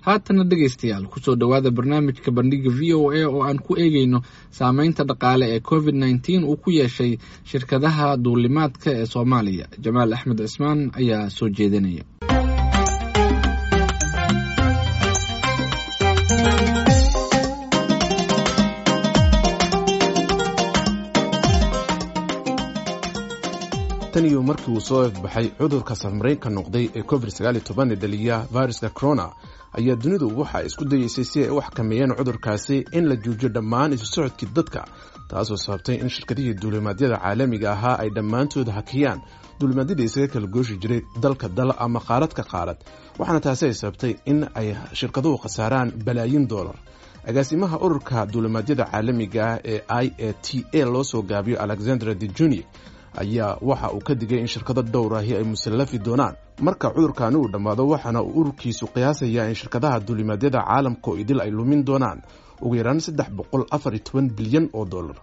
Haatana dhegaystayaal, kusoo dhowaada barnaamijka Bandhiga VOA oo aan ku eegeyno saameynta dhaqaale ee COVID-19 uu ku yeeshay shirkadaha duulimaadka ee Soomaaliya. Jamaal Axmed Cismaan ayaa soo jeedinaya. Tan iyo markii uu soo ifbaxay cudurka safmaraynka noqday ee COVID 19 ee dhaliya viruska corona ayaa dunidu waxa isku dayeysay si ay u xakameeyeen cudurkaasi in la joojiyo dhammaan isu socodkii dadka, taasoo sababtay in shirkadihii duulimaadyada caalamiga ahaa ay dhammaantood hakiyaan duulimaadyadii isaga kala gooshi jiray dalka dal ama qaarad ka qaarad, waxaana taasi ay sababtay in ay shirkaduhu khasaaraan balaayiin doolar. Agaasimaha ururka duulimaadyada caalamiga ah ee IATA loo soo gaabiyo, Alexandra de Juni, ayaa waxa uu ka digay in shirkado dhowr ahi ay musallafi doonaan marka cudurkaani uu dhammaado, waxaana uu ururkiisu qiyaasayaa in shirkadaha duulimaadyada caalamka oo idil ay lumin doonaan ugu yaraan 314 bilyan oo dollar.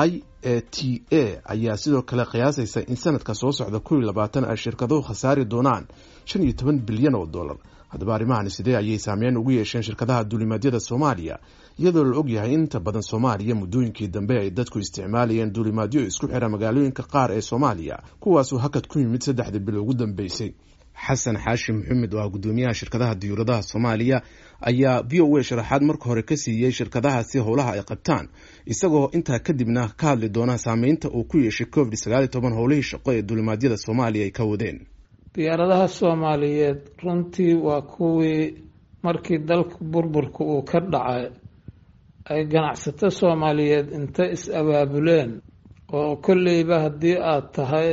IATA ayaa sidoo kale qiyaasaysa in sanadka soo socda 21 ay shirkaduhu khasaari doonaan 15 bilyan oo dollar. Haddaba, arrimahani sidee ayay saameyn ugu yeesheen shirkadaha duulimaadyada Soomaaliya, iyadoo la ogyahay inta badan Soomaaliya muddooyinkii dambe ay dadku isticmaalayeen duulimaadyo isku xira magaalooyinka qaar ee Soomaaliya, kuwaasuu hakad ku yimid saddexdii bil ugu dambeysay? Xasan Xaashi Maxamed oo ah guddoomiyaha shirkadaha diyuuradaha Soomaaliya ayaa VOA sharaxaad marka hore ka siiyey shirkadahaasi howlaha ay qabtaan, isagoo intaa kadibna ka hadli doona saameynta uu ku yeeshay COVID 19 howlihii shaqo ee duulimaadyada Soomaaliya ay ka wadeen. Diyaaradaha Soomaaliyeed runtii waa kuwii markii dalka burburka uu ka dhacay ay ganacsato Soomaaliyeed inta is-abaabuleen, oo kolleyba haddii aad tahay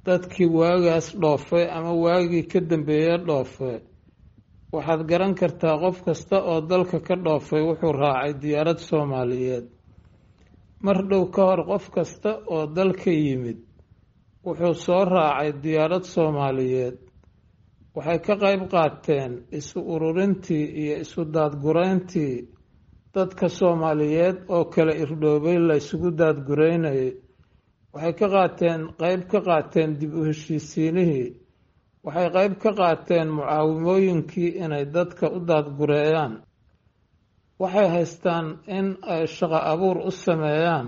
dadkii waagaas dhoofay ama waagii ka dambeeye dhoofay, waxaad garan kartaa qof kasta oo dalka ka dhoofay wuxuu raacay diyaarad Soomaaliyeed. Mar dhow ka hor qof kasta oo dalka yimid wuxuu soo raacay diyaarad Soomaaliyeed. Waxay ka qayb qaateen isu ururintii iyo isu daadgurayntii dadka Soomaaliyeed oo kala irdhoobay la isugu daadguraynayay. Waxay ka qaateen qayb ka qaateen dib u heshiisiinihii. Waxay qayb ka qaateen mucaawimooyinkii inay dadka u daadgureeyaan. Waxay haystaan in ay shaqo abuur u sameeyaan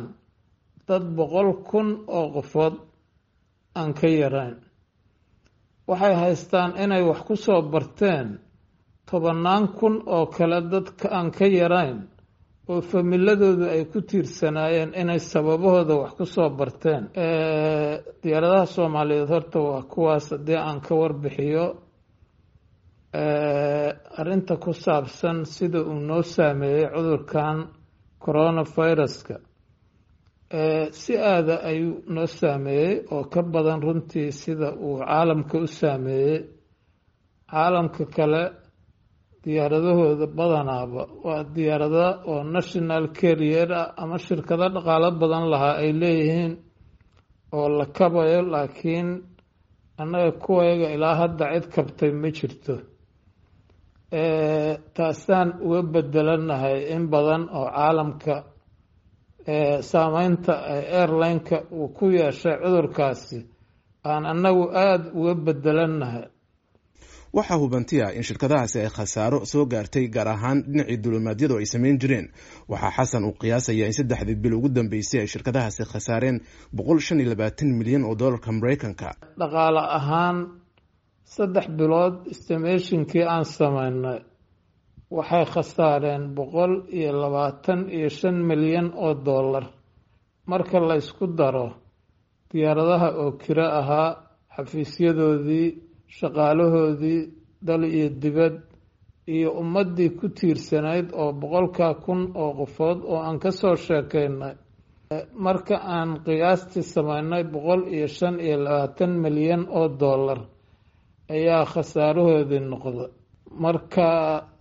dad 100,000 oo qofood aan ka yarayn. Waxay haystaan inay wax ku soo barteen tobannaan kun oo kale dadka aan ka yarayn oo familadoodu ay ku tiirsanaayeen inay sababahooda wax ku soo barteen. Diyaaradaha Soomaaliyeed horta waa kuwaas. Haddii aan ka warbixiyo arrinta ku saabsan sida uu noo saameeyey cudurkan coronaviruska, si aada ayuu noo saameeyey oo ka badan runtii sida uu caalamka u saameeyey. Caalamka kale diyaaradahooda badanaaba waa diyaarada oo national carrier ah ama shirkado dhaqaalo badan lahaa ay leeyihiin oo la kabayo, laakiin annaga kuwayaga ilaa hadda cid kabtay ma jirto. Taasaan uga bedelanahay in badan oo caalamka saameynta ay airline-ka uu ku yeeshay cudurkaasi aan annagu aada uga bedelannahay. Waxaa hubanti ah in shirkadahaasi ay khasaaro soo gaartay, gaar ahaan dhinacii duulimaadyadu ay samayn jireen. Waxaa Xasan uu qiyaasaya in saddexdii bil ugu dambeysay ay shirkadahaasi khasaareen 125 milyan oo dollarka Maraykanka. Dhaqaale ahaan, 3 bilood estimationkii aan sameynay waxay khasaareen 125 milyan oo dollar, marka la ysku daro diyaaradaha oo kiro ahaa, xafiisyadoodii, shaqaalahoodii dal iyo dibad, iyo ummaddii ku tiirsanayd oo 100,000 oo qofood oo aan ka soo sheekeynay. Marka aan qiyaastii sameynay, 125 milyan oo dollar ayaa khasaarahoodii noqda. Marka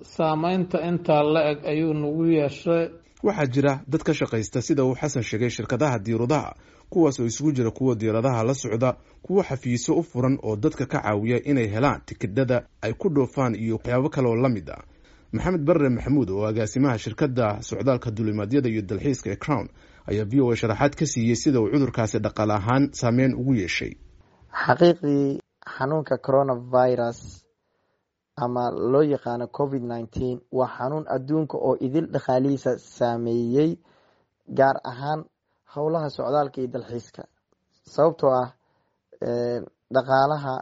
saameynta intaa la eg ayuu nagu yeeshay. Waxaa jira dad ka shaqaysta, sida uu Xasan sheegay, shirkadaha diyauradaha, kuwaas oo isugu jira kuwa diyaaradaha la socda, kuwo xafiisyo u furan oo dadka ka caawiya inay helaan tikidhada ay ku dhoofaan, iyo waxyaabo kale oo la mid ah. Maxamed Barre Maxamuud oo agaasimaha shirkadda socdaalka duulimaadyada iyo dalxiiska ee Crown ayaa VOA sharaxaad ka siiyey sida uu cudurkaasi dhaqaale ahaan saameyn ugu yeeshay. Xaqiiqdii, xanuunka coronavirus ama loo yaqaano COVID-19 waa xanuun adduunka oo idil dhaqaalihiisa saameeyey, gaar ahaan howlaha socdaalka iyo dalxiiska, sababtoo ah dhaqaalaha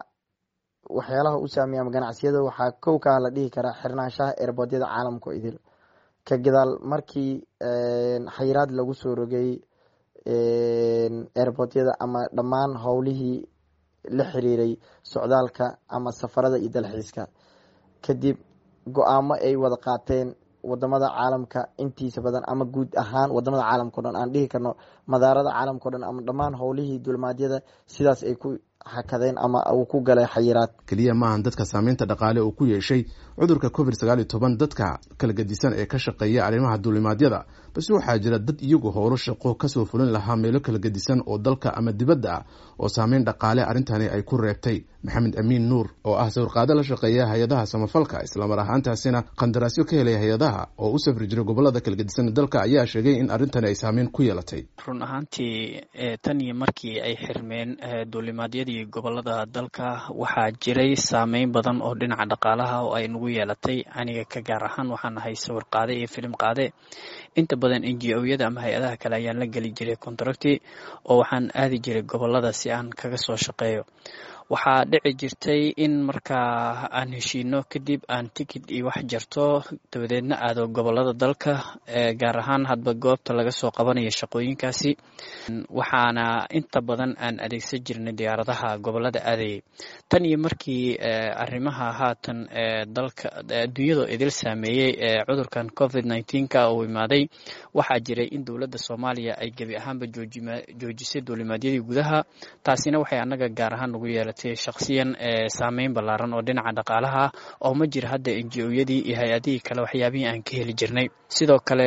waxyaalaha u saameeya ama ganacsiyada waxaa kow kaa la dhihi karaa xirnaanshaha airportyada caalamka oo idil, ka gadaal markii xayiraad lagu soo rogay airportyada ama dhammaan howlihii la xiriiray socdaalka ama safarada iyo dalxiiska, kadib go-aamo ay wada qaateen wadamada caalamka intiisa badan ama guud ahaan wadamada caalamka o dhan, aan dhihi karno madaarada caalamka o dhan ama dhammaan howlihii duulimaadyada sidaas ay ku hakadeen ama uu ku galay xayiraad. Keliya maahan dadka saameynta dhaqaale uu ku yeeshay cudurka COVID-19 dadka kala gedisan ee ka shaqeeya arrimaha duulimaadyada, balse waxaa jira dad iyagu howlo shaqo kasoo fulin lahaa meelo kala gedisan oo dalka ama dibadda ah oo saameyn dhaqaale arrintani ay ku reebtay. Maxamed Amiin Nuur oo ah sawirqaade la shaqeeya hay-adaha samafalka, islamar ahaantaasina qandaraasyo ka helay hay-adaha oo u safri jiray gobolada kala gedisan dalka, ayaa sheegay in arrintani ay saameyn ku yeelatay. Run ahaantii, tan iyo markii ay xirmeen duulimaadyadii gobolada dalka, waxaa jiray saameyn badan oo dhinaca dhaqaalaha oo ay nagu yeelatay. Aniga ka gaar ahaan waxaan ahay sawir qaade iyo filim qaade. Inta badan NGO-yada ama hay-adaha kale ayaan la geli jiray contract oo waxaan aadi jiray gobolada si aan kaga soo shaqeeyo. Waxaa dhici jirtay in markaa aan heshiino kadib aan tikid iyo wax jarto, dabadeedna aado gobolada dalka, gaar ahaan hadba goobta laga soo qabanayo shaqooyinkaasi. Waxaana inta badan aan adeegsan jirnay diyaaradaha gobolada aadayay. Tan iyo markii arrimaha haatan dalka adduunyada idil saameeyey ee cudurkan COVID-19-ka uu imaaday, waxaa jiray in dowladda Soomaaliya ay gebi ahaanba joojisay duulimaadyadii gudaha. Taasina waxay annaga gaar ahaan nagu yeelatay shakhsiyan saameyn ballaaran oo dhinaca dhaqaalaha, oo ma jira hadda NGO-yadii iyo hay-adihii kale waxyaabihii aan ka heli jirnay. Sidoo kale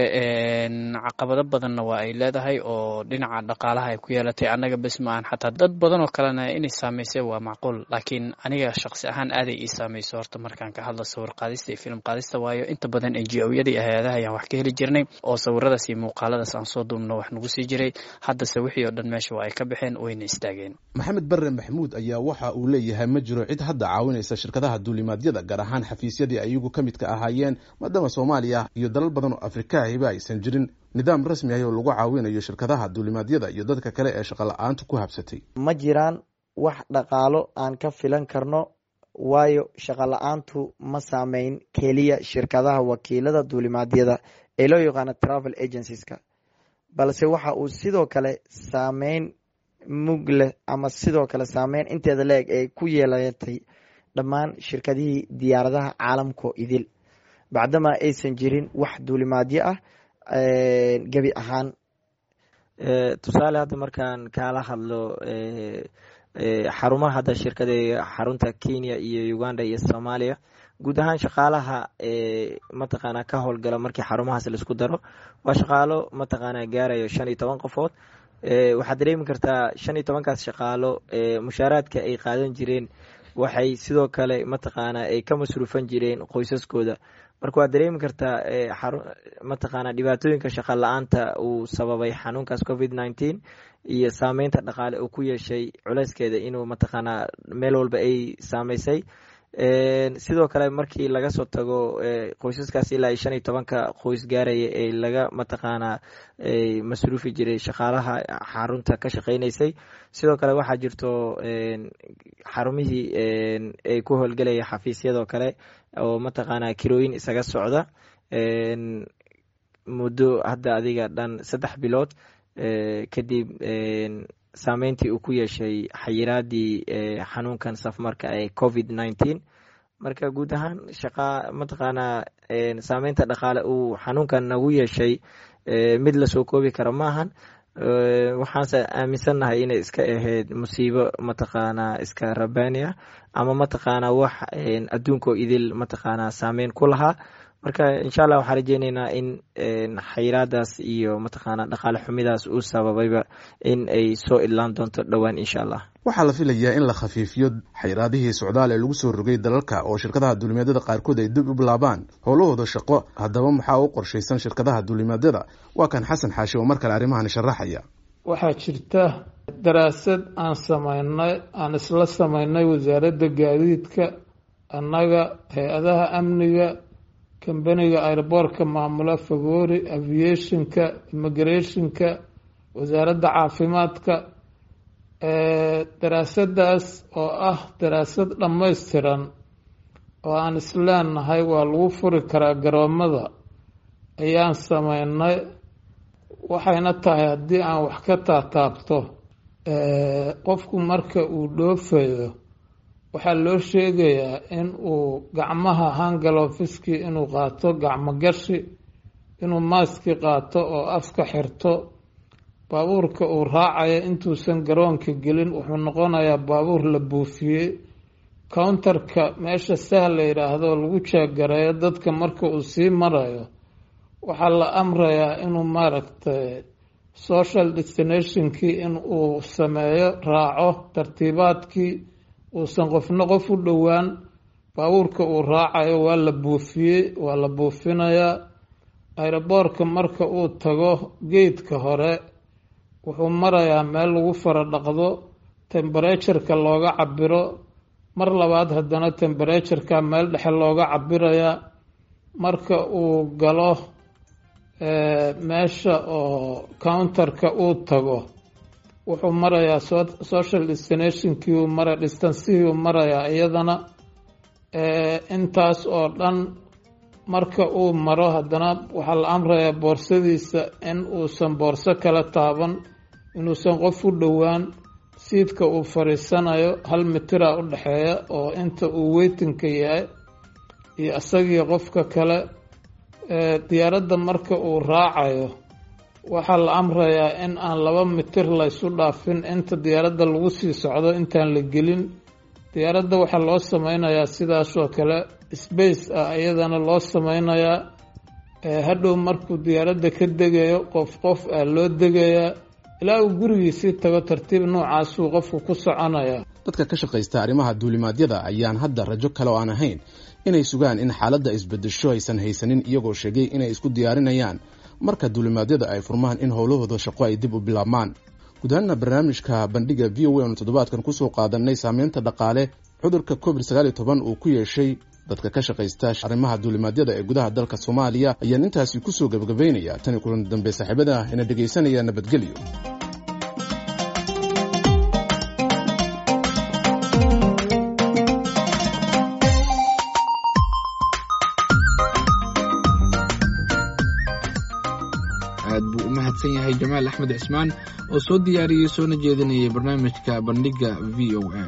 caqabado badanna waa ay leedahay oo dhinaca dhaqaalaha ay ku yeelatay. Annaga bes ma aan, xataa dad badan oo kalena inay saameysay waa macquul, laakiin aniga shakhsi ahaan aaday ii saameyso horta markaan ka hadlo sawir qaadista iyo film qaadista, waayo inta badan NGO-yada iyo hay-adaha ayaan wax ka heli jirnay oo sawiradaas iyo muuqaaladaas aan soo duubno wax nagu sii jiray. Haddase wixii oo dhan meesha waa ay ka baxeen, wayna istaageen. Maxamed Barre Maxamuud ayaa waxa uu leeyahay ma jiro cid hadda caawinaysa shirkadaha duulimaadyada, gaar ahaan xafiisyadii ayagu ka midka ahaayeen, maadaama Soomaaliya iyo dalal badan oo Afrikaahiba aysan jirin nidaam rasmi ah oo lagu caawinayo shirkadaha duulimaadyada iyo dadka kale ee shaqo la-aantu ku habsatay. Ma jiraan wax dhaqaalo aan ka filan karno, waayo shaqo la-aantu ma saameyn keliya shirkadaha wakiilada duulimaadyada ee loo yaqaano travel agencies-ka, balse waxa uu sidoo kale saameyn mug leh ama sidoo kale saameyn inteeda la-eg ay ku yeelatay dhammaan shirkadihii diyaaradaha caalamkoo idil, bacdamaa aysan jirin wax duulimaadyo ah gebi ahaan. Tusaale, hadda markaan kaala hadlo xarumaha hadda shirkada, xarunta Kenya iyo Uganda iyo Soomaaliya, guud ahaan shaqaalaha mataqaanaa ka howlgala markii xarumahaas laisku daro waa shaqaalo mataqaanaa gaarayo 15 qofood. Waxaad dareemi kartaa 15-kaas shaqaalo mushaaraadka ay qaadan jireen, waxay sidoo kale mataqaanaa ay ka masruufan jireen qoysaskooda. Marka waad dareemi kartaa mataqaanaa dhibaatooyinka shaqa la-aanta uu sababay xanuunkaas COVID-19 iyo saameynta dhaqaale uu ku yeeshay, culeyskeeda inuu mataqaanaa meel walba ay saameysay. Sidoo kale markii laga soo tago qoysaskaas ilaa 15-ka qoys gaaraya ee laga mataqaanaa masruufi jiray shaqaalaha xarunta ka shaqeyneysay, sidoo kale waxaa jirto xarumihii ay ku howlgelaya xafiisyadoo kale oo mataqaanaa kirooyin isaga socda muddo hadda adiga dhan 3 bilood kadib saameyntii uu ku yeeshay xayiraadii xanuunkan safmarka ee COVID-19. Marka guud ahaan shaqa mataqaanaa saameynta dhaqaale uu xanuunkan nagu yeeshay mid lasoo koobi karo maahan. Waxaanse aaminsannahay inay iska ahayd musiibo mataqaanaa iska rabaani ah ama mataqaanaa wax adduunkoo idil mataqaanaa saameyn ku lahaa. Marka insha Allah waxaan rajeyneynaa in xayiraadaas iyo mataqaanaa dhaqaale xumidaas uu sababayba in ay soo idlaan doonto dhowaan, insha Allah. Waxaa la filayaa in la khafiifiyo xayiraadihii socdaal ee lagu soo rogay dalalka oo shirkadaha duulimaadyada qaarkood ay dib u bilaabaan howlahooda shaqo. Haddaba maxaa u qorshaysan shirkadaha duulimaadyada? Waa kan Xasan Xaashi oo mar kale arrimahan sharaxaya. Waxaa jirta daraasad aan sameynay, aan isla sameynay wasaaradda gaadiidka. Annaga, hay-adaha amniga, kambaniga airboortka maamula, Fagoori Aviationka, immigrationka, wasaaradda caafimaadka. Daraasadaas oo ah daraasad dhammaystiran oo aan isleenahay waa lagu furi karaa garoomada ayaan sameynay. Waxayna tahay, haddii aan wax ka taataabto, qofku marka uu dhoofayo waxaa loo sheegayaa in uu gacmaha hand gloveski inuu qaato, gacmo gashi, inuu maaski qaato oo afka xirto. Baabuurka uu raacayo intuusan garoonka gelin wuxuu noqonayaa baabuur la buufiyey. Counterka meesha sahal la yidhaahdo lagu jeeggareeyo dadka marka uu sii marayo, waxaa la amrayaa inuu, maaragtay, social distancingkii in uu sameeyo, raaco tartiibaadkii, uusan qofna qof u dhowaan. Baabuurka uu raacayo waa la buufiyey, waa la buufinayaa. Aeroboorka marka uu tago, gateka hore wuxuu marayaa meel lagu fara dhaqdo, temperatureka looga cabiro. Mar labaad haddana temperatureka meel dhexe looga cabirayaa. Marka uu galo meesha oo counterka uu tago, wuxuu marayaa social distancingkii uu mara, distancihii uu marayaa iyadana. Intaas oo dhan marka uu maro, haddana waxaa la amrayaa boorsadiisa in uusan boorso kala taaban, inuusan qof u dhowaan. Seatka uu fadhiisanayo hal mitira u dhexeeya oo inta uu waitingka yahay iyo isagii qofka kale. Diyaaradda marka uu raacayo waxaa la amrayaa in aan 2 mitir laysu dhaafin inta diyaaradda lagu sii socdo, intaan la gelin diyaaradda. Waxaa loo sameynayaa sidaasoo kale space ah iyadana loo sameynayaa. Hadhow markuu diyaaradda ka degayo, qof qof ah loo degayaa ilaa uu gurigiisii tago. Tartiib noocaasuu qofku ku soconayaa. Dadka ka shaqaysta arrimaha duulimaadyada ayaan hadda rajo kale oo aan ahayn inay sugaan in xaaladda isbedesho aysan haysanin, iyagoo sheegay inay isku diyaarinayaan marka duulimaadyada ay furmaan in howlahooda shaqo ay dib u bilaabmaan. Guud ahaana barnaamijka Bandhiga VOA aanu toddobaadkan kusoo qaadanay saameynta dhaqaale cudurka COVID-19 uu ku yeeshay dadka ka shaqaysta arrimaha duulimaadyada ee gudaha dalka Soomaaliya ayaan intaasi kusoo gebagabaynaya. Tani kulan dambe, saaxiibada ina dhegaysanaya, nabadgelyo. Aad buu u mahadsan yahay Jamaal Axmed Cismaan oo soo diyaariyey soona jeedinayay barnaamijka Bandhiga VOA.